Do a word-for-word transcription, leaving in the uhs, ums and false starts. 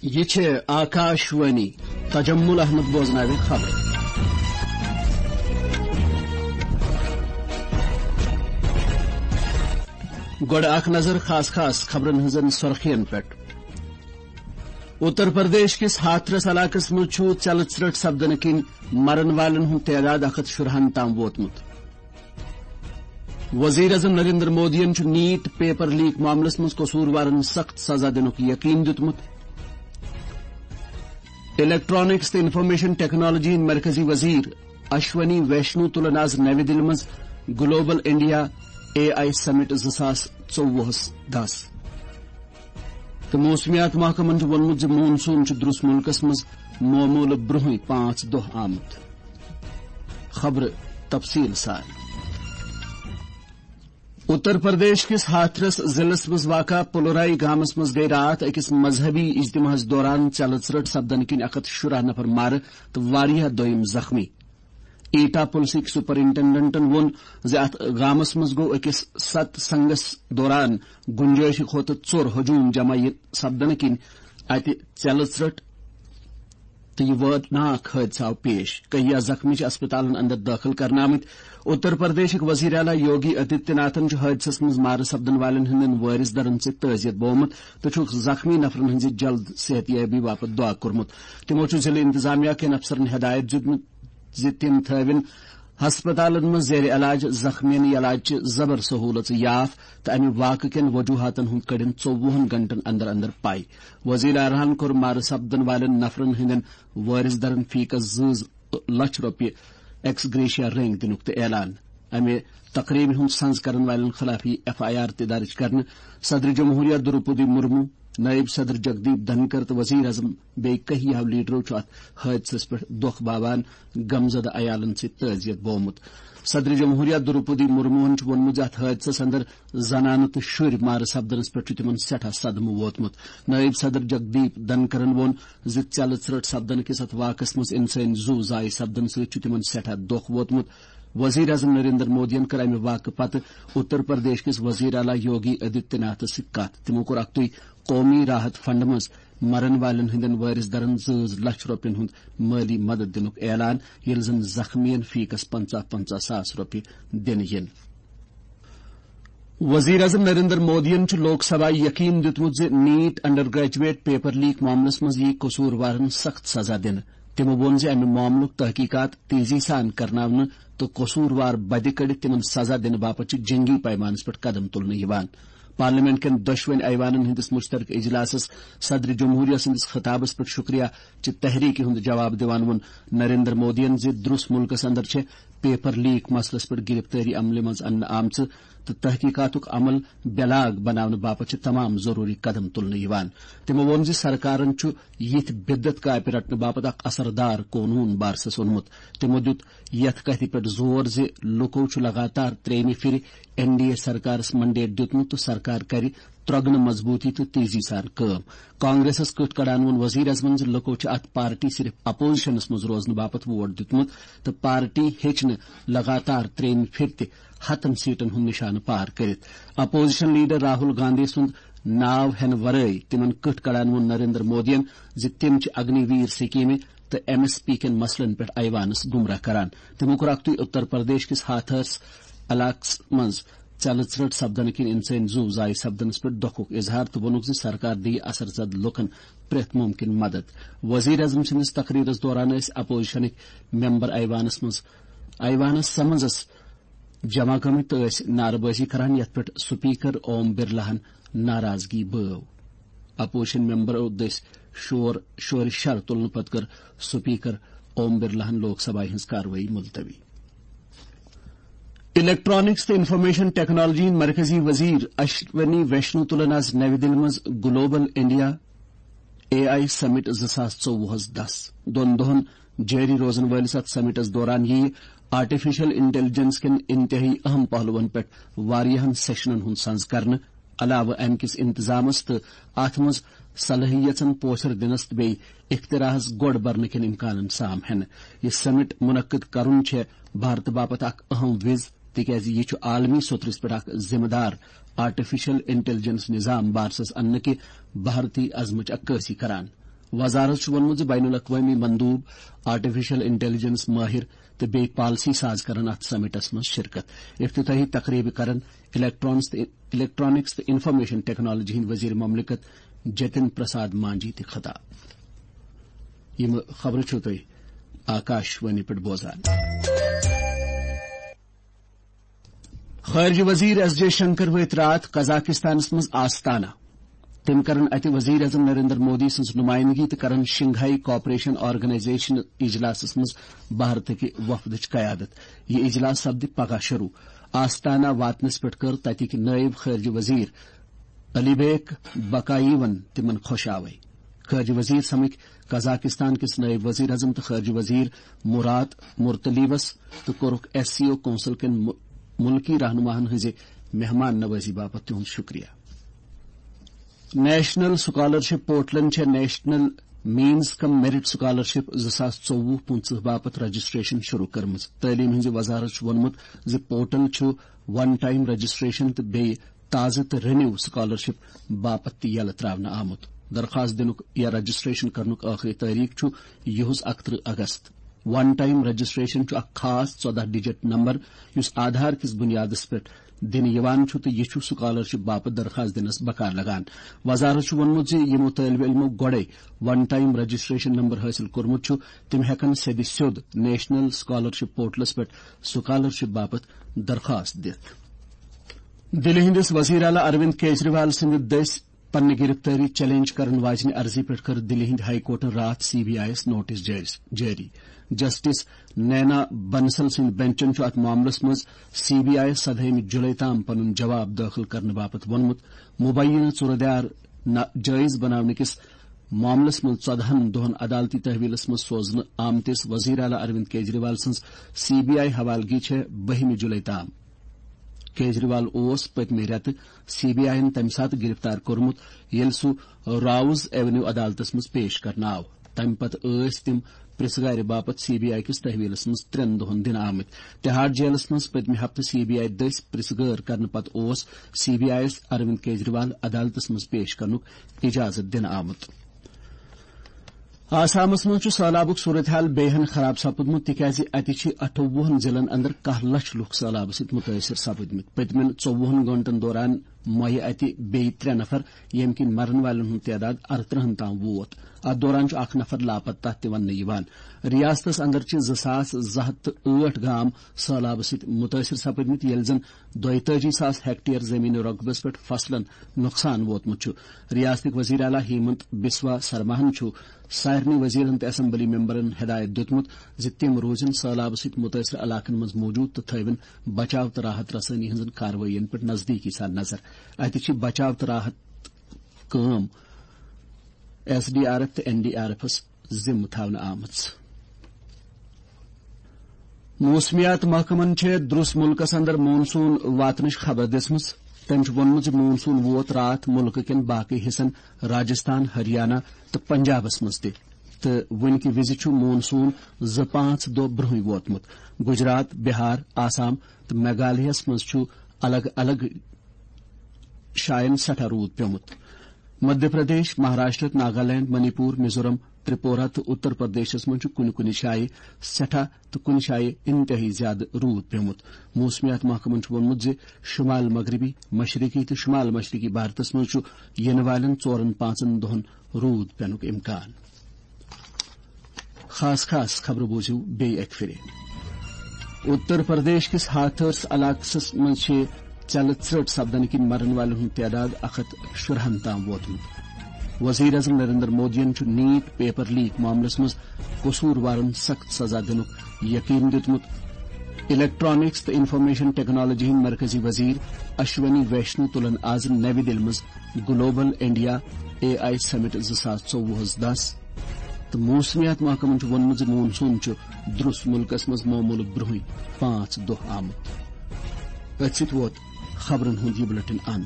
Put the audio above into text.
یہِ چھِ آکاشوانی۔ تجمل احمد بوزناوِ خبرٕ۔ گۄڈٕ اکھ نظر خاص خاص خبرن ہٕنٛزن سرخین پٮ۪ٹھ۔ اتر پردیش کِس ہاتھرس علاقس منٛز چھُ ژٮ۪لہٕ ژرٛٹھ سپدنہٕ کِنۍ مرن والٮ۪ن ہُنٛد تعداد اکھ ہتھ شُرہن تام ووتمُت۔ وزیر اعظم نریندر مودیَن چھُ نیٹ پیپر لیک معاملس منٛز قصوٗروارن سخت سزا دِنُک یقین دیُتمُت۔ الیکٹرانکس تہٕ انفارمیشن ٹیکنالوجی ہٕنٛدۍ مرکزی وزیر اشونی ویشنو تُلن آز نَوِ دِلہِ منٛز گلوبل انڈیا اے آئی سمٹ زٕ ساس ژوٚوُہس دَس۔ تہٕ موسمیات محکمن چھُ ووٚنمُت زِ مون سون چھُ درُس مُلکس منٛز معموٗلہٕ برٛونٛہٕے پانٛژھ دۄہ آمُت۔ خبرٕ تفصیٖل سان۔ اتر پردیش کِس ہاتھرس ضلعس منٛز واقع پلورائی گامس منٛز گٔیہِ راتھ أکِس مذہبی اجتماعس دوران ژٮ۪لہٕ ژرٛٹھ سپدنہٕ کِنۍ اکھ ہتھ شُراہ نفر مارٕ تہٕ واریاہ دوٚیِم زخمی۔ ایٹا پُلسٕکۍ سپرنٹنڈنٹن ووٚن زِ اتھ گامس منٛز گوٚو أکِس ست سنگس دوران گُنجٲیشہِ کھۄتہٕ ژوٚر ہجوم جمع یہِ سپدنہٕ کِنۍ اتہِ ژٮ۪لہٕ ژرٛٹھ تہٕ یہِ وٲرناک حٲدثہٕ آو پیش۔ کہیا زخمی چھِ اسپتالن اندر دٲخل کرنہٕ آمٕتۍ۔ اتر پردیشٕکۍ وزیر اعلیٰ یوگی آدتیہ ناتھن چھُ حٲدثس منٛز مارٕ سپدن والٮ۪ن ہٕنٛدٮ۪ن وٲرث درن سۭتۍ تعزیت بوومُت تہٕ چھُکھ زخمی نفرن ہٕنٛزِ جلد صحت یابی باپتھ دعا کوٚرمُت۔ تِمو چھُ ضلعہٕ انتظامیہ کٮ۪ن افسرن ہدایت دیُتمُت زِ تِم تھٲوِن ہسپتالن منٛز زیر علاج زخمین علاج چہِ زبر سہوٗلژٕ یاف تہٕ امہِ واقعہٕ کٮ۪ن وجوہاتن ہُنٛد کٔڑِن ژوٚوُہن گھنٹن اندر اندر پاے۔ وزیر اعلیٰ ہن کوٚر مارٕ سپدن والٮ۪ن نفرن ہٕنٛدٮ۪ن وٲرث درن فی کس زٕ لچھ رۄپیہِ ایکس گریشیا رنگ دِنُک تہِ اعلان۔ امہِ تقریبہِ ہُنٛد سنز کرن والٮ۪ن خلاف یی ایف آئی آر تہِ درج کرنہٕ۔ صدر جمہوریہ دروپدی مرمو، نائب صدر جگدیپ دھنکر تہٕ وزیر اعظم بیٚیہِ کہیاہو لیڈرو چھُ اتھ حٲدثس پٮ۪ٹھ دۄکھ باوان غمزدٕ عیالن سۭتۍ تعزیت بوومُت۔ صدر جمہوریہ دروپدی مرموہن چھُ ووٚنمُت زِ اتھ حٲدثس اندر زنانہٕ تہٕ شُرۍ مارٕ سپدنس پٮ۪ٹھ چھُ تِمن سٮ۪ٹھاہ صدمہٕ ووتمُت۔ نائب صدر جگدیپ دھنکرن ووٚن زِ ژٮ۪لہٕ ژرٛٹھ سپدنہٕ کِس اتھ واقعس منٛز انسٲنی زُو ضایع سپدنہٕ سۭتۍ چھُ تِمن سٮ۪ٹھاہ دۄکھ ووتمُت۔ وزیر اعظم نریندر مودیَن کٔر امہِ واقعہٕ پتہٕ اتر پردیش کِس وزیر اعلیٰ یوگی آدتیہ ناتھس سۭتۍ کتھ۔ تِمو کوٚر اکھ تُے قومی راحت فنڈ منٛز مرن والٮ۪ن ہٕنٛدٮ۪ن وٲرث درن زٕ لچھ رۄپین ہُنٛد مٲلی مدد دِنُک اعلان، ییٚلہِ زن زخمیَن فی کس پنژاہ پنژاہ ساس رۄپیہِ دِنہٕ یِن۔ وزیر اعظم نریندر مودیَن چھُ لوک سبھایہ یقین دیُتمُت زِ NEET undergraduate paper leak معاملس منٛز یِیہِ قصوٗروارن سخت سزا دِنہٕ۔ تِمو ووٚن زِ امہِ معاملُک تحقیقات تیزی سان کرناونہٕ تہٕ قصوٗروار بدِ کٔڑِتھ تِمن سزا دِنہٕ باپتھ چھِ جنگی پیمانس پٮ۪ٹھ قدم تُلنہٕ یِوان۔ پارلیمنٹ کٮ۪ن دۄشوٕنۍ ایوانن ہٕنٛدِس مشترکہٕ اجلاسس صدر جمہوریہ سٕنٛدِس خطابس پٮ۪ٹھ شکریہ چہِ تحریکہِ ہُنٛد جواب دِوان ووٚن نریندر مودیَن زِ درُس مُلکس اندر چھےٚ پیپر لیک مسلس پٮ۪ٹھ گرفتٲری عملہِ منٛز اننہٕ آمژٕ تہٕ تحقیقاتُک عمل بے لاگ بناونہٕ باپتھ چھِ تمام ضروٗری قدم تُلنہٕ یِوان۔ تِمو ووٚن زِ سرکارن چھُ یِتھۍ بدعت کاپہِ رٹنہٕ باپتھ اکھ اثردار قونوٗن بارسس اوٚنمُت۔ تِمو دیُت یتھ کتھِ پٮ۪ٹھ زور زِ لوٗکو چھُ لگاتار ترٛیٚیمہِ پھِرِ این ڈی اے سرکارس منڈیٹ دیُتمُت تہٕ سرکار کرِ ترۄگنہٕ مضبوٗطی تہٕ تیزی سان کٲم۔ کانگریسس کٕٹھ کڑان ووٚن وزیر اعظمن زِ لوٗکو چھِ اتھ پارٹی صرف اپوزیشنس منٛز روزنہٕ باپتھ ووٹ دیُتمُت تہٕ پارٹی ہیٚچ نہٕ لگاتار ترٛیٚیمہِ پھِرِ تہِ ہتن سیٹن ہُنٛد نشانہٕ پار کٔرِتھ۔ اپوزیشن لیڈر راہل گاندھی سُنٛد ناو ہینہٕ ورٲے تِمن کٕٹھ کڑان ووٚن نریندر مودیَن زِ تِم چھِ اگنی ویر سکیمہِ تہٕ ایم ایس پی کٮ۪ن مسلن پٮ۪ٹھ ایوانس گمراہ کران۔ تِمو کوٚر اکھ تُے اتر پردیش کِس ہاتھرس علاقس منٛز ژلہٕ ژرٛٹھ سپدنہٕ کِنۍ انسٲنی زُو ضایع سپدنس پٮ۪ٹھ دۄکھُک اظہار تہٕ ووٚنُکھ زِ سرکار دِیہِ اثر زد لوٗکن پرٛٮ۪تھ مُمکِن مدد۔ وزیر اعظم سٕنٛدِس تقریرس دوران ٲسۍ اپوزیشنٕکۍ ممبر ایوانس منٛز، ایوانس سمنزس جمع گٔمٕتۍ تہٕ ٲسۍ نعرٕ بٲزی کران، یتھ پٮ۪ٹھ سپیکر اوم برلاہن ناراضگی بٲو۔ اپوزیشن ممبرو دٔسۍ شور، شورِ شر تُلنہٕ پتہٕ کٔر سپیکر اوم برلاہن لوک سبھایہ ہٕنٛز کاروٲیی ملتوی۔ الیکٹرانکس تہٕ انفارمیشن ٹیکنالوجی ہٕنٛدۍ مرکزی وزیر اشونی ویشنو تُلن آز نَوِ دِلہِ منٛز گلوبل انڈیا اے آئی سمٹ زٕ ساس ژوٚوُہس دس۔ دۄن دۄہن جٲری روزن وٲلِس اتھ سمٹس دوران یِیہِ آرٹیفیشل انٹیلیجنس کٮ۪ن انتہٲئی اہم پہلوَن پٮ۪ٹھ واریاہن سیشنن ہُنٛد سنز کرنہٕ۔ علاوٕ امہِ کِس انتظامس تہٕ اتھ منٛز صلٲحیژن پوچھر دِنس تہٕ بیٚیہِ اختراعس گۄڈ برنہٕ کٮ۪ن امکانن سام ہٮ۪نہٕ۔ یہِ سمٹ منعقد کرُن چھےٚ بھارتہٕ باپتھ اکھ اہم وِز، تِکیازِ یہِ چھُ عالمی سطرس پٮ۪ٹھ اکھ ذمہٕ دار آرٹیفیشل انٹیلیجنس نظام بارسس اننہٕ کہِ بھارتی عزمٕچ عکٲسی کران۔ وزارت چھُ ووٚنمُت زِ بین الاقوٲمی مندوب، آرٹیفیشل انٹیلیجنس ماہر تہٕ بیٚیہِ پالیسی ساز کرن اتھ سمٹس منٛز شرکت۔ افتتاحی تقریبہِ کرن الیکٹرانکس تہٕ الیکٹرانکس تہٕ انفارمیشن ٹیکنالوجی ہٕنٛدۍ وزیر مملکت جتن پرساد مانجھی تہِ خطاب۔ یِم خبرٕ چھِو تُہۍ آکاش وانی پٮ۪ٹھ بوزان۔ خارجہ وزیر ایس جے شنکر وٲتۍ راتھ قزاقستانس منٛز آستانہ۔ تٔمۍ کرن اتہِ وزیر اعظم نریندر مودی سٕنٛز نمائندگی تہٕ کرن شنگھائی کوآپریشن آرگنائزیشن اجلاسس منٛز بھارتٕکہِ وفدٕچ قیادت۔ یہِ اجلاس سپدِ پگاہ شروع۔ آستانہ واتنس پٮ۪ٹھ کٔر تتِکۍ نٲیب خارجہ وزیر علی بیک بکاییون تِمن خۄش آوے۔ خارجہ وزیر سمکھ قزاقستان کِس نٲیب وزیر اعظم تہٕ خارجہ وزیر مراد مرتلیوس تہٕ کوٚرُکھ ایس سی او کونسل کٮ۪ن مُ-، مُلکی رہنماہن ہٕنٛزِ مہمان نوازی باپتھ تِہُنٛد شُکریہ۔ نیشنل سکالرشپ پورٹلن چھےٚ نیشنل مینز کم میرٹ سکالرشپ زٕ ساس ژوٚوُہ پٕنٛژٕہ باپتھ رجسٹریشن شروع کٔرمٕژ۔ تعلیٖم ہٕنٛزِ وزارت چھُ ووٚنمُت زِ پورٹل چھُ ون ٹائم رجسٹریشن تہٕ بیٚیہِ تازٕ تہٕ رینیو سکالرشپ باپتھ تہِ یلہٕ تراونہٕ آمُت۔ درخواست دِنُک یا رجسٹریشن کرنُک ٲخری تٲریخ چھُ یِہُس اکترٕہ اگست۔ ون ٹائم رجسٹریشن چھُ اکھ خاص ژۄدہ ڈجٹ نمبر یُس آدھار کِس بنیادس پٮ۪ٹھ دِنہٕ یِوان چھُ تہٕ یہِ چھُ سکالرشپ باپتھ درخواست دِنس بکار لگان۔ وزارت چھُ ووٚنمُت زِ یِمو طٲلبہِ علمو گۄڈے ون ٹائم رجسٹریشن نمبر حٲصِل کوٚرمُت چھُ، تِم ہٮ۪کن سیٚدِ سیوٚد نیشنل سکالرشپ پورٹلس پٮ۪ٹھ سکالرشپ باپتھ درخواست دِتھ۔ دِلہِ ہٕنٛدِس وزیر اعلیٰ اروند کیجریوال سٕنٛدِ دٔسۍ پننہِ گرفتٲری چیلنج کرن واجنہِ عرضی پٮ۪ٹھ کٔر دِلہِ ہٕنٛدِ ہائی کورٹن راتھ سی بی آئی یَس نوٹس جٲری۔ جسٹس نینا بنسل سٕنٛدِ بنچن چھُ اتھ معاملس منٛز سی بی آئی یَس سدہٲیمہِ جولائی تام پنُن جواب دٲخل کرنہٕ باپتھ ووٚنمُت۔ مبینہ ژوٗرٕ دیار ناجٲیز بناونہٕ کِس معاملس منٛز ژۄدہَن دۄہَن عدالتی تحویلس منٛز سوزنہٕ آمتِس وزیر اعلیٰ اروند کیجریوال سٕنٛز سی بی آئی حوالگی چھےٚ بٔہمہِ جولائی تام۔ کیجریوال اوس پٔتمہِ رٮ۪تہٕ سی بی آئی یَن تَمہِ ساتہٕ گِرفتار کوٚرمُت، ییٚلہِ سُہ راوز ایونیو عدالتس منٛز پیش کرنہٕ آو۔ تَمہِ پتہٕ ٲسۍ تِم پرٛژھٕ گارِ باپتھ سی بی آئی کِس تحویلس منٛز ترٛٮ۪ن دۄہَن دِنہٕ آمٕتۍ۔ تہاڑ جیلس منٛز پٔتمہِ ہفتہٕ سی بی آئی دٔسۍ پرٛژھٕ گٲر کرنہٕ پتہٕ اوس سی بی آئی یَس اروند کیجریوال عدالتس منٛز پیش کرنُک اجازت دِنہٕ آمُت۔ آسامس منٛز چھُ سٔہلابُک صورتحال بیٚیہِ ہن خراب سپُدمُت، تِکیازِ اتہِ چھِ اَٹھووُہَن ضلعن اندر کاہ لچھ لُکھ سٔہلابہٕ سۭتۍ مُتٲثِر سپٕدمٕتۍ۔ پٔتمٮ۪ن ژوٚوُہَن گٲنٛٹن دوران مۄیہِ اتہِ بیٚیہِ ترٛےٚ نفر، ییٚمہِ کِنۍ مرن والٮ۪ن ہُنٛد تعداد اَرترٕہَن تام ووت۔ اتھ دوران چھُ اکھ نفر لاپتہ تہِ وننہٕ یِوان۔ ریاستس اندر چھِ زٕ ساس زٕ ہتھ تہٕ ٲٹھ گام سٔہلابہٕ سۭتۍ مُتٲثِر سپٕدمٕتۍ، ییٚلہِ زن دۄیتٲجی ساس ہیکٹیئر زمین رۄقبس پٮ۪ٹھ فصلن نۄقصان ووتمُت چھُ۔ ریاستٕکۍ وزیر اعلیٰ ہیمنت بسوا سرماہن چھُ سارنٕے وزیرن تہٕ اسمبلی ممبرن ہدایت دِیُتمُت زِ تِم روزن سٔہلابہٕ سۭتۍ مُتٲثِر علاقن منٛز موجود تہٕ تھٲوِن بچاو تہٕ راحت رسٲنی ہٕنٛزن کاروٲیین پٮ۪ٹھ نزدیٖکی سان نظر۔ اتہِ چھِ بچاو تہٕ راحت کٲم ایس ڈی آر ایف تہٕ این ڈی آر ایفس ذمہٕ تھاونہٕ آمٕژ۔ موسمیات محکمن چھےٚ درٛس مُلکس اندر مون سون واتنٕچ خبر دِژمٕژ۔ تٔمۍ چھُ ووٚنمُت زِ مون سون ووت راتھ مُلکہٕ کٮ۪ن باقٕے حصن، راجستھان، ہریانہ تہٕ پنجابس منٛز تہِ، تہٕ وُنہِ کہِ وِزِ چھُ مون سون زٕ پانٛژھ دۄہ برٛونٛہٕے ووتمُت۔ گجرات، بہار، آسام تہٕ میگھالیہس منٛز چھُ الگ الگ جاین سٮ۪ٹھاہ روٗد پیوٚمُت۔ مدھیہ پردیش، مہاراشٹر، ناگالینڈ، منی پور، میزورم، ترپورہ تہٕ اتر پردیشس منٛز چھُ کُنہِ کُنہِ جایہِ سٮ۪ٹھاہ تہٕ کُنہِ جایہِ انتہٲئی زیادٕ روٗد پیوٚمُت۔ موسمیات محکمن چھُ ووٚنمُت زِ شمال مغربی، مشرقی تہٕ شمال مشرقی بھارتس منٛز چھُ یِنہٕ والٮ۪ن ژورن پانٛژن دۄہَن روٗد پینُک امکان۔ خاص خاص خبرٕ بوٗزِو بیٚیہِ اَکہِ پھِرِ۔ اتر پردیش کِس ہاتھرس علاقس منٛز چھِ ژیلہٕ ژرٛٹ سپدنہٕ کِنۍ مرن والٮ۪ن ہُنٛد تعداد اکھ ہتھ شُراہن تام ووتمُت۔ وزیر اعظم نریندر مودیَن چھُ نیٹ پیپر لیک معاملس منٛز قصوٗروارن سخت سزا دِنُک یقین دِیُتمُت۔ الیکٹرانکس تہٕ انفارمیشن ٹیکنالوجی ہٕنٛدۍ مرکزی وزیر اشونی ویشنو تُلن آز نَوِ دِلہِ منٛز گلوبل انڈیا اے آئی سمٹ زٕ ساس ژوٚوُہس دَس۔ تہٕ موسمیات محکمن چھُ ووٚنمُت زِ مون سون چھُ درٛس مُلکس منٛز معموٗلہٕ برٛونٛہٕے پانٛژھ دۄہ آمُت۔ أتھۍ سۭتۍ ووت خبرن ہُنٛد یہِ بلیٹن اند۔